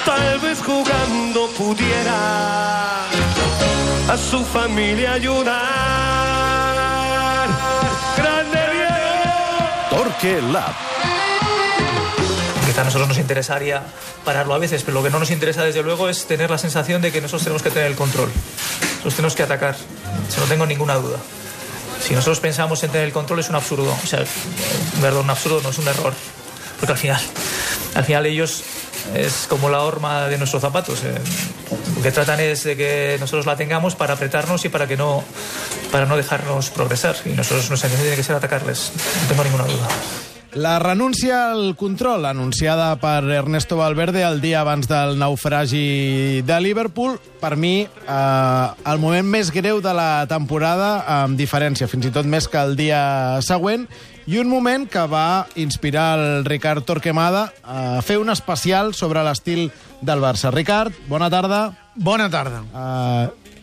tal vez jugando pudiera a su familia ayudar. ¡Grande Diego! Torque Lab. Quizá a nosotros nos interesaría pararlo a veces, pero lo que no nos interesa desde luego es tener la sensación de que nosotros tenemos que tener el control. Nosotros tenemos que atacar, eso no tengo ninguna duda. Si nosotros pensamos en tener el control es un absurdo, o sea, perdón, un absurdo no es un error, porque al final ellos es como la horma de nuestros zapatos. Lo que tratan es de que nosotros la tengamos para apretarnos y para no dejarnos progresar. Y nosotros nuestra intención tiene que ser atacarles, no tengo ninguna duda. La renúncia al control, anunciada per Ernesto Valverde el dia abans del naufragi de Liverpool, per mi, el moment més greu de la temporada, amb diferència, fins i tot més que el dia següent, i un moment que va inspirar el Ricard Torquemada a fer un especial sobre l'estil del Barça. Ricard, bona tarda. Bona tarda.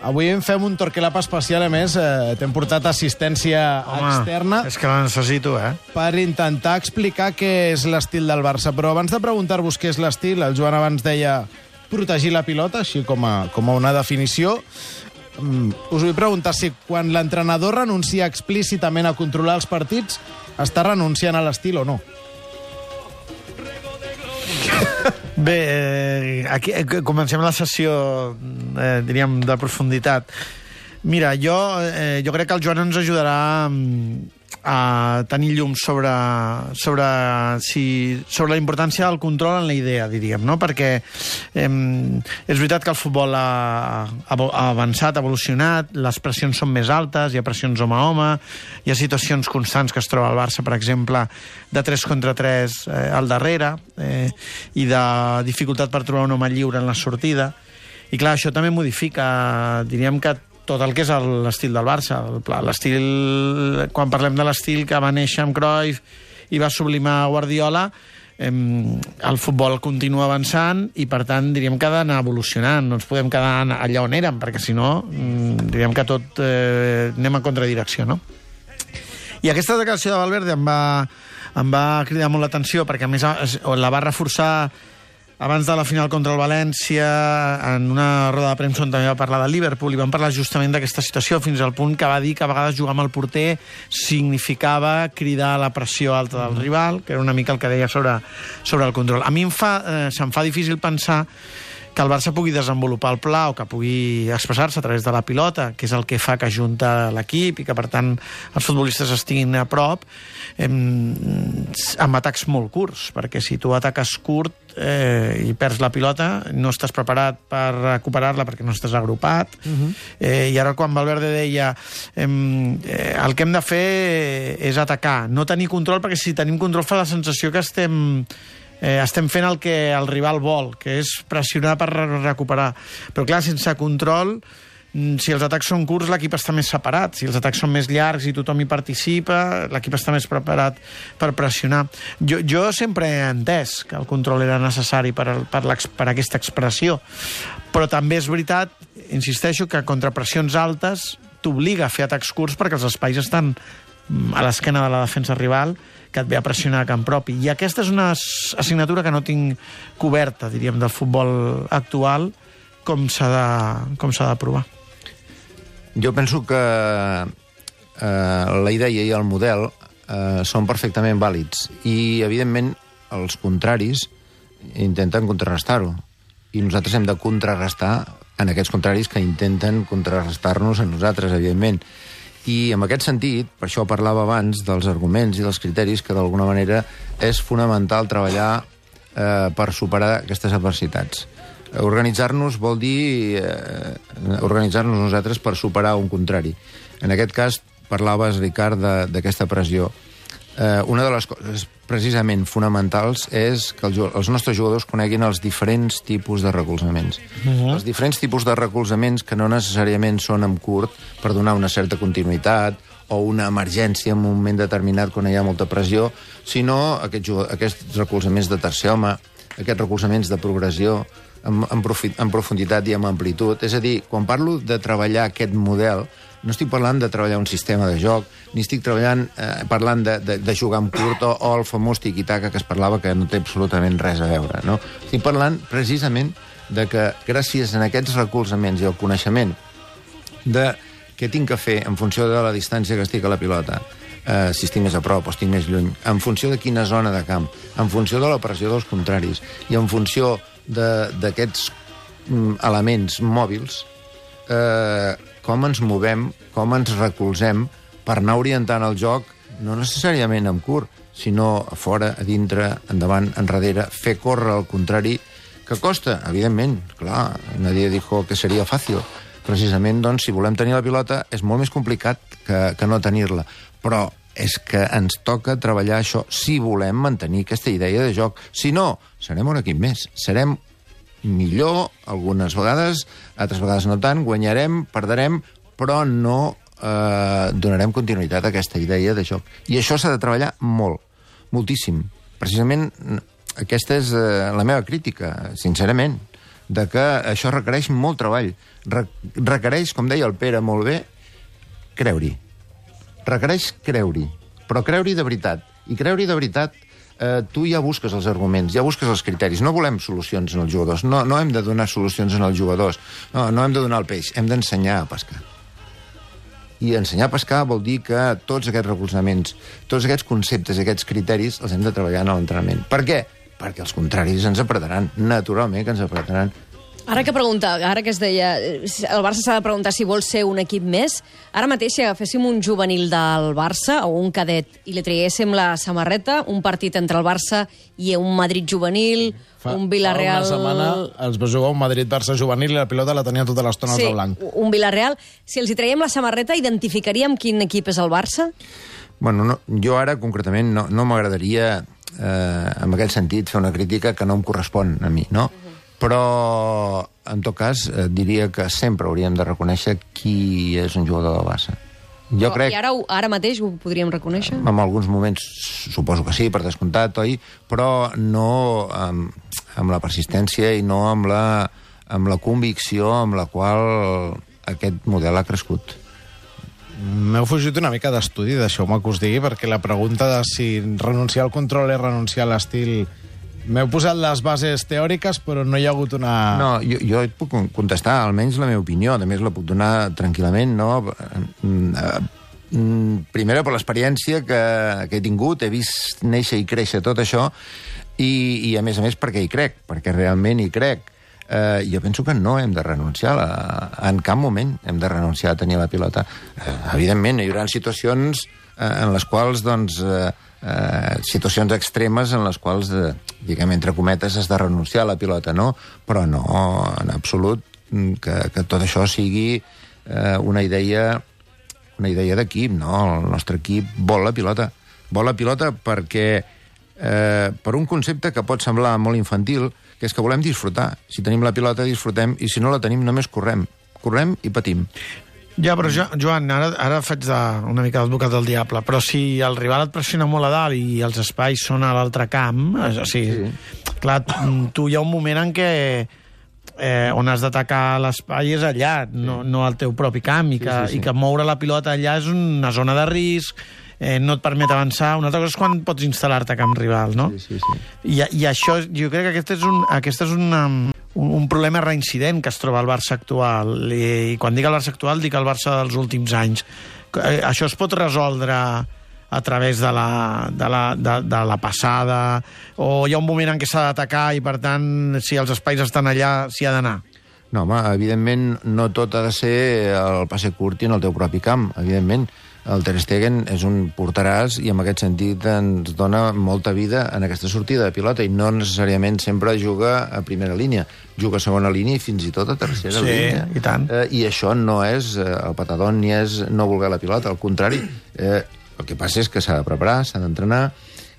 Avui en fem un Torquelab especial, a més, t'hem portat assistència externa. És que la necessito, per intentar explicar què és l'estil del Barça. Però abans de preguntar-vos què és l'estil, el Joan abans deia protegir la pilota, així com a una definició. Us vull preguntar si quan l'entrenador renuncia explícitament a controlar els partits, està renunciant a l'estil o no? Bé, aquí comencem la sessió, diríem, de profunditat. Mira, jo crec que el Joan ens ajudarà a tenir llum sobre la importància del control en la idea, diríem, no? Perquè és veritat que el futbol ha avançat, ha evolucionat, les pressions són més altes, hi ha pressions home a home, hi ha situacions constants que es troba al Barça, per exemple, de 3 contra 3 al darrere, i de dificultat per trobar un home lliure en la sortida. I clar, això també modifica, diríem que tot el que és l'estil del Barça. L'estil, quan parlem de l'estil que va néixer amb Cruyff i va sublimar Guardiola, el futbol continua avançant i, per tant, diríem que ha d'anar evolucionant. No ens podem quedar allà on érem, perquè, si no, diríem que tot anem en contradirecció, no? I aquesta declaració de Valverde em va cridar molt l'atenció, perquè, a més, la va reforçar abans de la final contra el València, en una roda de premsa on també va parlar de Liverpool, i van parlar justament d'aquesta situació, fins al punt que va dir que a vegades jugar amb el porter significava cridar la pressió alta del rival, que era una mica el que deia sobre el control. A mi se'm fa difícil pensar que el Barça pugui desenvolupar el pla o que pugui expressar-se a través de la pilota, que és el que fa que ajunta l'equip i que, per tant, els futbolistes estiguin a prop, amb atacs molt curts, perquè si tu ataques curt i perds la pilota, no estàs preparat per recuperar-la perquè no estàs agrupat. I ara, quan Valverde deia el que hem de fer és atacar, no tenir control, perquè si tenim control fa la sensació que estem fent el que el rival vol, que és pressionar per recuperar. Però clar, sense control, si els atacs són curts, l'equip està més separat. Si els atacs són més llargs i tothom hi participa, l'equip està més preparat per pressionar. Jo sempre he entès que el control era necessari per aquesta expressió, però també és veritat, insisteixo, que contra pressions altes t'obliga a fer atacs curts perquè els espais estan a l'esquena de la defensa rival, que et ve a pressionar a camp propi. I aquesta és una assignatura que no tinc coberta, diríem, del futbol actual, com s'ha de provar. Jo penso que la idea i el model són perfectament vàlids i, evidentment, els contraris intenten contrarrestar-ho. I nosaltres hem de contrarrestar en aquests contraris que intenten contrarrestar-nos a nosaltres, evidentment. I en aquest sentit, per això parlava abans dels arguments i dels criteris, que d'alguna manera és fonamental treballar per superar aquestes adversitats. Organitzar-nos vol dir organitzar-nos nosaltres per superar un contrari. En aquest cas, parlaves, Ricard, d'aquesta pressió. Una de les coses precisament fonamentals és que els nostres jugadors coneguin els diferents tipus de recolzaments. Els diferents tipus de recolzaments que no necessàriament són en curt per donar una certa continuïtat o una emergència en un moment determinat quan hi ha molta pressió, sinó aquests recolzaments de tercer home, aquests recolzaments de progressió en profunditat i amb amplitud. És a dir, quan parlo de treballar aquest model, no estic parlant de treballar un sistema de joc, ni estic parlant de jugar amb curt o el famós tiki-taka que es parlava que no té absolutament res a veure. No? Estic parlant precisament de que gràcies a aquests recolzaments i el coneixement de què tinc que fer en funció de la distància que estic a la pilota, si estic més a prop o estic més lluny, en funció de quina zona de camp, en funció de la pressió dels contraris i en funció d'aquests elements mòbils, com ens movem, com ens recolzem per anar orientant el joc, no necessàriament en curt, sinó a fora, a dintre, endavant, enrere, fer córrer al contrari, que costa, evidentment, clar, nadie dijo que seria fàcil. Precisament, doncs, si volem tenir la pilota, és molt més complicat que no tenir-la. Però és que ens toca treballar això si volem mantenir aquesta idea de joc. Si no, serem un equip més. Serem millor algunes vegades, altres vegades no tant, guanyarem, perdrem, però no donarem continuïtat a aquesta idea de joc. I això s'ha de treballar molt, moltíssim. Precisament aquesta és la meva crítica, sincerament, de que això requereix molt treball. Requereix, com deia el Pere molt bé, creure-hi. Requereix creure-hi, però creure-hi de veritat. I creure-hi de veritat, tu ja busques els arguments, ja busques els criteris. No volem solucions en els jugadors, no hem de donar solucions en els jugadors, no hem de donar el peix, hem d'ensenyar a pescar. I ensenyar a pescar vol dir que tots aquests recolzaments, tots aquests conceptes, aquests criteris, els hem de treballar en l'entrenament. Per què? Perquè els contraris ens apretaran, naturalment que ens apretaran. Ara que es deia, el Barça s'ha de preguntar si vol ser un equip més. Ara mateix, si agaféssim un juvenil del Barça o un cadet i li traguéssim la samarreta, un partit entre el Barça i un Madrid juvenil, un Villarreal... Fa una setmana els va jugar un Madrid-Barça juvenil i la pilota la tenia tota l'estona al blanc. Sí, un Villarreal. Si els hi traiem la samarreta, identificaríem quin equip és el Barça? Bueno, no, jo ara, concretament, no m'agradaria, en aquest sentit, fer una crítica que no em correspon a mi, no? Però, en tot cas, diria que sempre hauríem de reconèixer qui és un jugador del Barça. Jo crec... I ara mateix ho podríem reconèixer? En alguns moments suposo que sí, per descomptat, oi? Però no amb la persistència i no amb la convicció amb la qual aquest model ha crescut. M'heu fugit una mica d'estudi, deixeu-me que us digui, perquè la pregunta de si renunciar al control és renunciar a l'estil... M'heu posat les bases teòriques, però no hi ha hagut una... No, jo et puc contestar, almenys la meva opinió, a més la puc donar tranquil·lament, no? Primera, per l'experiència que he tingut, he vist néixer i créixer tot això, i a més perquè hi crec, perquè realment hi crec. Jo penso que no hem de renunciar, en cap moment hem de renunciar a tenir la pilota. Evidentment, hi haurà situacions en les quals, doncs... situacions extremes en les quals, diguem, entre cometes, has de renunciar a la pilota, no? Però no, en absolut, que tot això sigui una idea d'equip, no? El nostre equip vol la pilota. Vol la pilota perquè, per un concepte que pot semblar molt infantil, que és que volem disfrutar. Si tenim la pilota, disfrutem, i si no la tenim, només correm. Correm i patim. Ja, però Joan, ara faig una mica d'advocat del diable, però si el rival et pressiona molt a dalt i els espais són a l'altre camp, o sigui, clar, tu hi ha un moment en què on has d'atacar l'espai és allà, no al teu propi camp, i que moure la pilota allà és una zona de risc, no et permet avançar. Una altra cosa és quan pots instal·lar-te a camp rival, no? Sí. I això, jo crec que aquest és un problema reincident que es troba al Barça actual. I quan dic el Barça actual, dic el Barça dels últims anys. Això es pot resoldre a través de la passada, o hi ha un moment en què s'ha d'atacar i, per tant, si els espais estan allà, s'hi ha d'anar? No, home, evidentment no tot ha de ser el passe curt i en el teu propi camp, evidentment. El Ter Stegen és un porteràs i en aquest sentit ens dona molta vida en aquesta sortida de pilota i no necessàriament sempre juga a primera línia. Juga a segona línia i fins i tot a tercera línia. Sí, i tant. I això no és el patadón ni és no voler la pilota, al contrari. El que passa és que s'ha de preparar, s'ha d'entrenar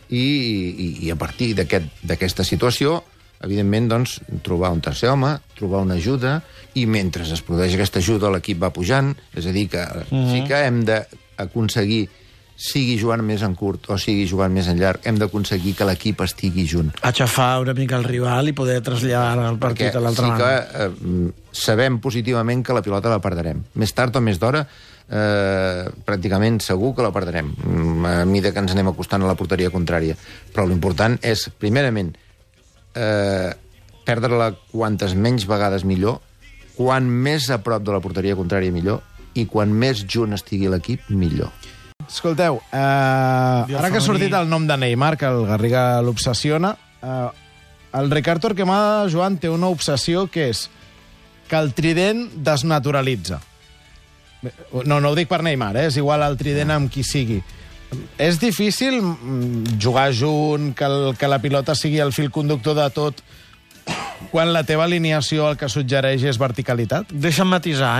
i a partir d'aquesta situació, evidentment, doncs, trobar un tercer home, trobar una ajuda, i mentre es produeix aquesta ajuda l'equip va pujant, és a dir, que sí que hem d'aconseguir sigui jugant més en curt o sigui jugant més en llarg, hem d'aconseguir que l'equip estigui junt. Aixafar una mica el rival i poder traslladar el partit a l'altra banda. Perquè sí que sabem positivament que la pilota la perdrem. Més tard o més d'hora, pràcticament segur que la perdrem, a mesura que ens anem acostant a la porteria contrària. Però l'important és, primerament, perdre-la quantes menys vegades millor, quan més a prop de la porteria contrària millor, i quan més junt estigui l'equip, millor. Escolteu, ara que ha sortit el nom de Neymar, que el Garriga l'obsessiona, el Ricard Torquemada, Joan, té una obsessió que és que el trident desnaturalitza. No ho dic per Neymar, és igual el trident amb qui sigui. És difícil jugar junt, que la pilota sigui el fil conductor de tot, quan la teva alineació el que suggereix és verticalitat? Deixa'm matisar,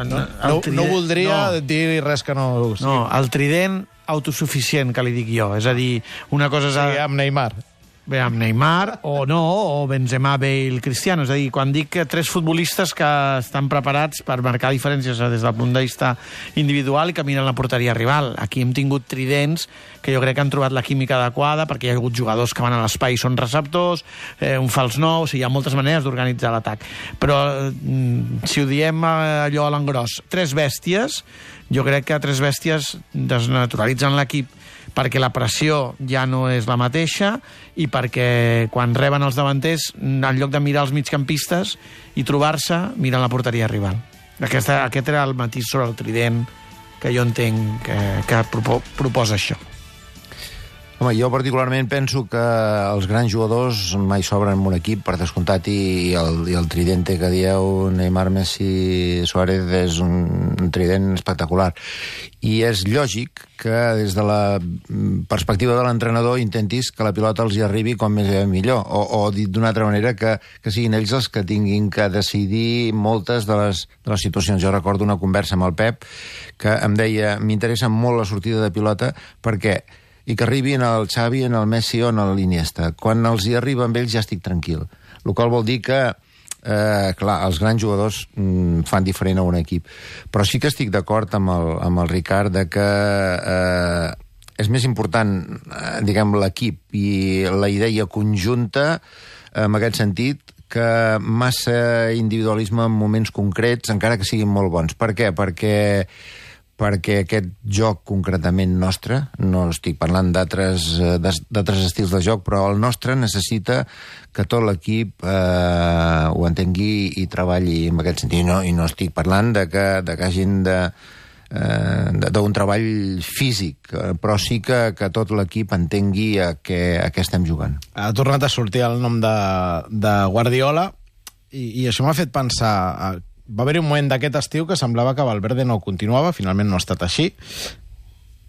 No voldria dir res que no... No, el trident autosuficient, que li dic jo. És a dir, una cosa és... Sí, amb Neymar. Bé, amb Neymar, o no, o Benzema, Bale, Cristiano. És a dir, quan dic que 3 futbolistes que estan preparats per marcar diferències des del punt de vista individual i que miren la porteria rival. Aquí hem tingut tridents que jo crec que han trobat la química adequada, perquè hi ha hagut jugadors que van a l'espai i són receptors, un fals nou, o sigui, hi ha moltes maneres d'organitzar l'atac. Però, si ho diem allò a l'engròs, 3 bèsties, jo crec que 3 bèsties desnaturalitzen l'equip, perquè la pressió ja no és la mateixa i perquè quan reben els davanters, en lloc de mirar els migcampistes i trobar-se, miren la porteria rival. Aquest era el matís sobre el trident que jo entenc que proposa això. Home, jo particularment penso que els grans jugadors mai sobren en un equip, per descomptat, i el tridente que dieu, Neymar, Messi, Suárez, és un trident espectacular. I és lògic que des de la perspectiva de l'entrenador intentis que la pilota els hi arribi com més millor, o dit d'una altra manera, que siguin ells els que tinguin que decidir moltes de les situacions. Jo recordo una conversa amb el Pep que em deia, m'interessa molt la sortida de pilota perquè i que arribin el Xavi, en el Messi o en l'Iniesta. Quan els hi arriba amb ells ja estic tranquil. El qual vol dir que, clar, els grans jugadors fan diferent a un equip. Però sí que estic d'acord amb el Ricard de que és més important, diguem, l'equip i la idea conjunta, en aquest sentit, que massa individualisme en moments concrets, encara que siguin molt bons. Per què? Perquè aquest joc concretament nostre, no estic parlant d'altres estils de joc, però el nostre necessita que tot l'equip ho entengui i treballi en aquest sentit. I no estic parlant de que hagin d'un treball físic, però sí que tot l'equip entengui a què estem jugant. Ha tornat a sortir el nom de Guardiola i això m'ha fet pensar... Va haver-hi un moment d'aquest estiu que semblava que Valverde no continuava, finalment no ha estat així,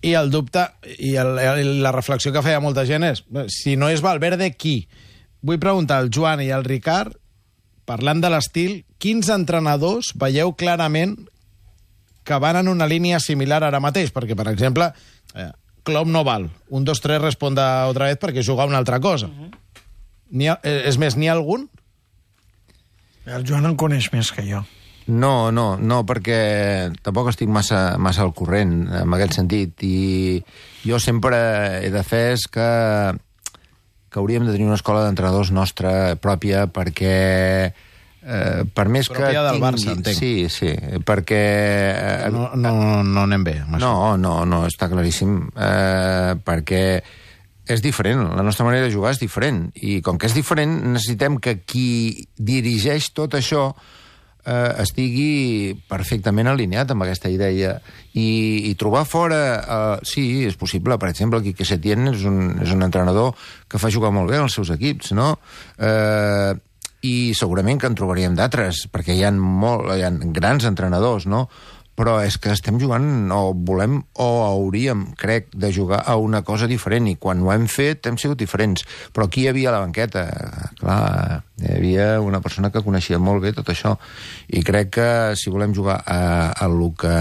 i el dubte i la reflexió que feia molta gent és, si no és Valverde, qui? Vull preguntar al Joan i al Ricard, parlant de l'estil, quins entrenadors veieu clarament que van en una línia similar ara mateix? Perquè, per exemple, Klopp no val. 1, 2, 3 responda otra vez perquè juga una altra cosa. És més, n'hi ha algun? El Joan en coneix més que jo. No, perquè tampoc estic massa al corrent en aquest sentit, i jo sempre he defès que hauríem de tenir una escola d'entrenadors nostra pròpia, perquè per més que pròpia del Barça, entenc. Sí, perquè... No anem bé amb això. No, està claríssim, perquè és diferent, la nostra manera de jugar és diferent, i com que és diferent necessitem que qui dirigeix tot això estigui perfectament alineat amb aquesta idea i trobar fora... Sí, és possible. Per exemple, Quique Setién és un entrenador que fa jugar molt bé els seus equips, no? I segurament que en trobaríem d'altres, perquè hi ha grans entrenadors, no? Però és que estem jugant, o volem, o hauríem, crec, de jugar a una cosa diferent, i quan ho hem fet hem sigut diferents. Però aquí hi havia la banqueta, clar, hi havia una persona que coneixia molt bé tot això, i crec que si volem jugar a lo que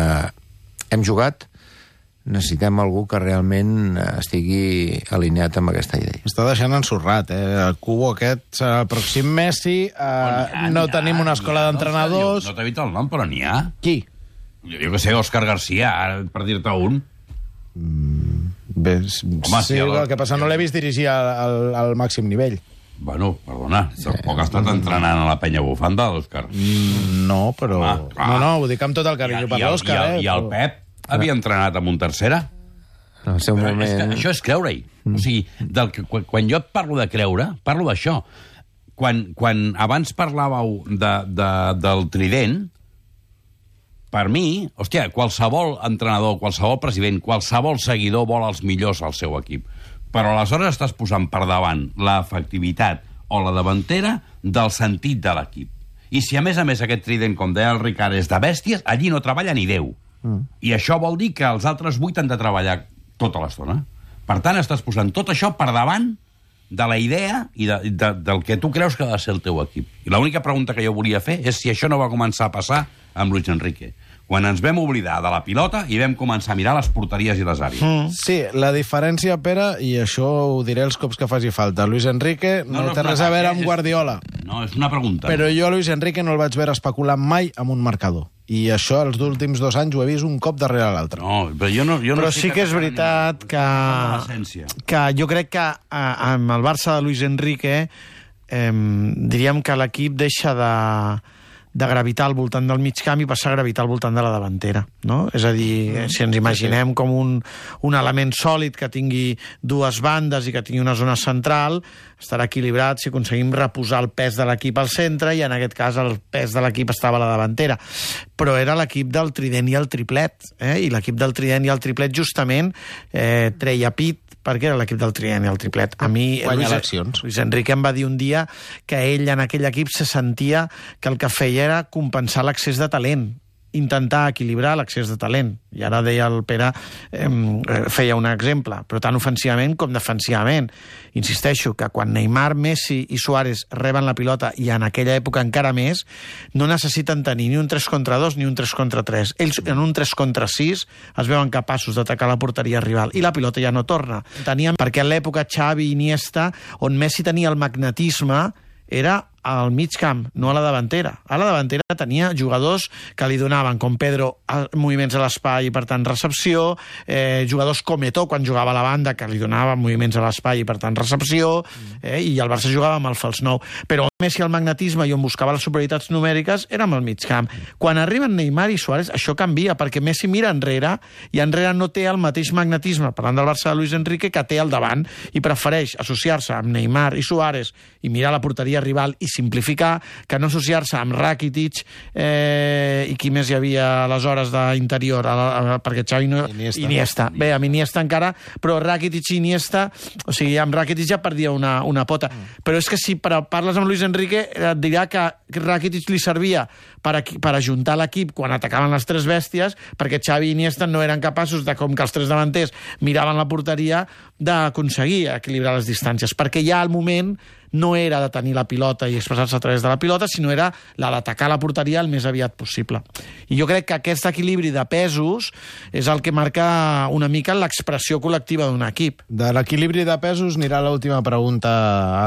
hem jugat, necessitem algú que realment estigui alineat amb aquesta idea. Està deixant ensorrat, El cubo aquest serà el pròxim Messi, no tenim una escola d'entrenadors... No t'ha dit el nom, però n'hi ha. Qui? Jo que sé, Òscar García, per dir-te un. Bé, sí, el que passa no l'he vist dirigir al màxim nivell. Bueno, perdona, tampoc ha estat entrenant a la penya bufanda, l'Òscar. No, però... No, ho dic amb tot el carinyo per l'Òscar, I el Pep havia entrenat amb un tercera? En el seu moment... Això és creure-hi. O sigui, quan jo et parlo de creure, parlo d'això. Quan abans parlàveu del trident, per mi, hòstia, qualsevol entrenador, qualsevol president, qualsevol seguidor vol els millors al seu equip. Però aleshores estàs posant per davant l'efectivitat o la davantera del sentit de l'equip. I si a més aquest trident, com deia el Ricard, és de bèsties, allí no treballa ni Déu. I això vol dir que els altres 8 han de treballar tota l'estona. Per tant, estàs posant tot això per davant de la idea i del que tu creus que ha de ser el teu equip. I l'única pregunta que jo volia fer és si això no va començar a passar amb Luis Enrique, quan ens vam oblidar de la pilota i vam començar a mirar les porteries i les àrees. Sí, la diferència, Pere, i això ho diré els cops que faci falta, Luis Enrique no té res a veure amb Guardiola. No, és una pregunta. Però jo a Luis Enrique no el vaig veure especular mai amb un marcador. I això els últims 2 anys ho he vist un cop darrere l'altre. No, però jo no però sí que és veritat que jo crec que amb el Barça de Luis Enrique diríem que l'equip deixa de gravitar al voltant del mig camp i passar a gravitar al voltant de la davantera, no? És a dir, si ens imaginem com un element sòlid que tingui 2 bandes i que tingui una zona central, estarà equilibrat si aconseguim reposar el pes de l'equip al centre, i en aquest cas el pes de l'equip estava a la davantera. Però era l'equip del trident i el triplet, i l'equip del trident i el triplet justament treia pit perquè era l'equip del trident i el triplet. A mi, Luis Enrique em va dir un dia que ell en aquell equip se sentia que el que feia era compensar l'excés de talent, intentar equilibrar l'excés de talent. I ara deia el Pere, feia un exemple, però tant ofensivament com defensivament. Insisteixo que quan Neymar, Messi i Suárez reben la pilota, i en aquella època encara més, no necessiten tenir ni un 3 contra 2 ni un 3 contra 3. Ells en un 3 contra 6 es veuen capaços d'atacar la porteria rival i la pilota ja no torna. Perquè en l'època Xavi i Iniesta, on Messi tenia el magnetisme, era al mig camp, no a la davantera. A la davantera tenia jugadors que li donaven, com Pedro, moviments a l'espai i, per tant, recepció, jugadors com Eto'o, quan jugava a la banda, que li donaven moviments a l'espai i, per tant, recepció, i el Barça jugava amb el fals 9. Però Messi al magnetisme i on buscava les superioritats numèriques era amb el mig camp. Quan arriben Neymar i Suárez, això canvia, perquè Messi mira enrere i enrere no té el mateix magnetisme, parlant del Barça de Luis Enrique, que té al davant, i prefereix associar-se amb Neymar i Suárez i mirar la porteria rival i simplificar, que no associar-se amb Rakitic i qui més hi havia aleshores d'interior, perquè Xavi no... Iniesta. Bé, amb Iniesta encara, però Rakitic i Iniesta, o sigui, amb Rakitic ja perdia una pota. Però és que si parles amb Luis Enrique et dirà que Rakitic li servia per ajuntar l'equip quan atacaven les 3 bèsties, perquè Xavi i Iniesta no eren capaços de, com que els 3 davanters miraven la porteria, d'aconseguir equilibrar les distàncies, perquè ja al moment no era de tenir la pilota i expressar-se a través de la pilota, sinó era la d'atacar la porteria el més aviat possible. I jo crec que aquest equilibri de pesos és el que marca una mica l'expressió col·lectiva d'un equip. De l'equilibri de pesos anirà l'última pregunta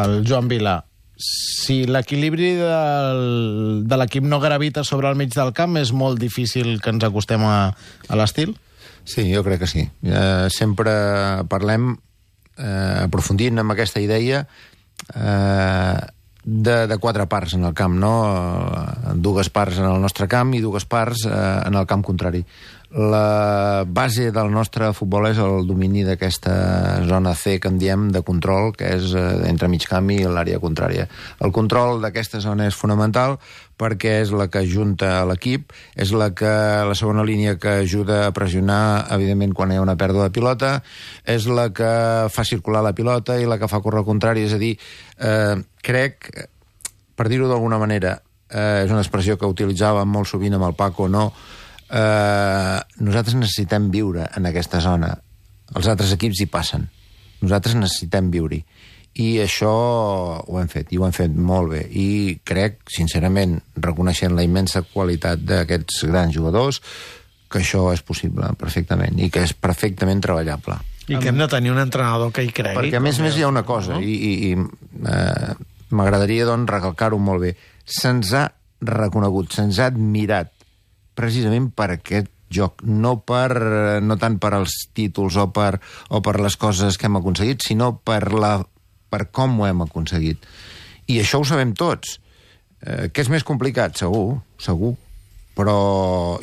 al Joan Vilà. Si l'equilibri de l'equip no gravita sobre el mig del camp, és molt difícil que ens acostem a l'estil? Sí, jo crec que sí. Sempre parlem, aprofundint en aquesta idea, de 4 parts en el camp, no? 2 parts en el nostre camp i 2 parts en el camp contrari. La base del nostre futbol és el domini d'aquesta zona C que en diem de control, que és entre mig camp i l'àrea contrària. El control d'aquesta zona és fonamental perquè és la que ajunta l'equip, és la segona línia que ajuda a pressionar, evidentment, quan hi ha una pèrdua de pilota, és la que fa circular la pilota i la que fa córrer al contrari. És a dir, crec, per dir-ho d'alguna manera, és una expressió que utilitzàvem molt sovint amb el Paco, no? Nosaltres necessitem viure en aquesta zona. Els altres equips hi passen. Nosaltres necessitem viure-hi. I això ho hem fet, i ho hem fet molt bé. I crec, sincerament, reconeixent la immensa qualitat d'aquests grans jugadors, que això és possible perfectament, i que és perfectament treballable. I que hem de tenir un entrenador que hi cregui. Perquè, a més hi ha una cosa, i m'agradaria, doncs, recalcar-ho molt bé. Se'ns ha reconegut, se'ns ha admirat precisament per aquest joc, no tant per als títols o per les coses que hem aconseguit, sinó per com ho hem aconseguit. I això ho sabem tots. Que és més complicat? Segur. Però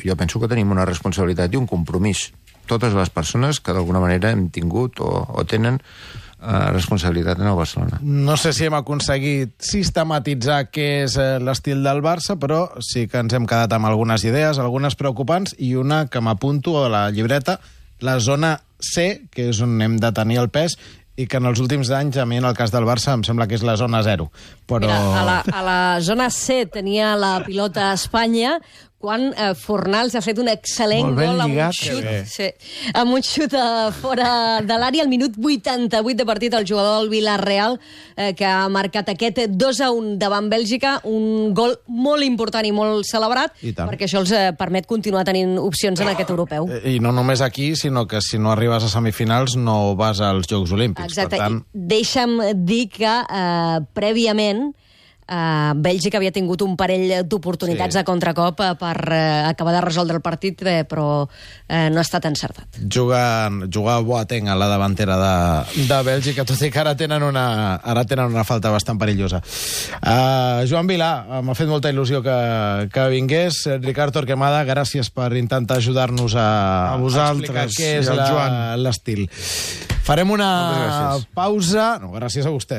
jo penso que tenim una responsabilitat i un compromís. Totes les persones que d'alguna manera hem tingut o tenen responsabilitat en el Barcelona. No sé si hem aconseguit sistematitzar què és l'estil del Barça, però sí que ens hem quedat amb algunes idees, algunes preocupants, i una que m'apunto a la llibreta, la zona C, que és on hem de tenir el pes, i que en els últims anys, a mi en el cas del Barça, em sembla que és la zona 0. Però... Mira, a la zona C tenia la pilota a Espanya, quan Fornals ha fet un excel·lent gol amb un xut fora de l'àrea al minut 88 de partit, el jugador del Villarreal, que ha marcat aquest 2-1 davant Bèlgica, un gol molt important i molt celebrat, perquè això els permet continuar tenint opcions en aquest europeu. I no només aquí, sinó que si no arribes a semifinals no vas als Jocs Olímpics. Exacte. Per tant... Deixa'm dir que prèviament Bèlgica havia tingut un parell d'oportunitats a contracop per acabar de resoldre el partit, però no ha estat encertat. Juga Boateng a la davantera de Bèlgica, tot i que ara tenen una falta bastant perillosa. Joan Vilà, m'ha fet molta il·lusió que vingués. Ricard Torquemada, gràcies per intentar ajudar-nos a explicar què és l'estil. Farem una pausa. No, gràcies a vostè.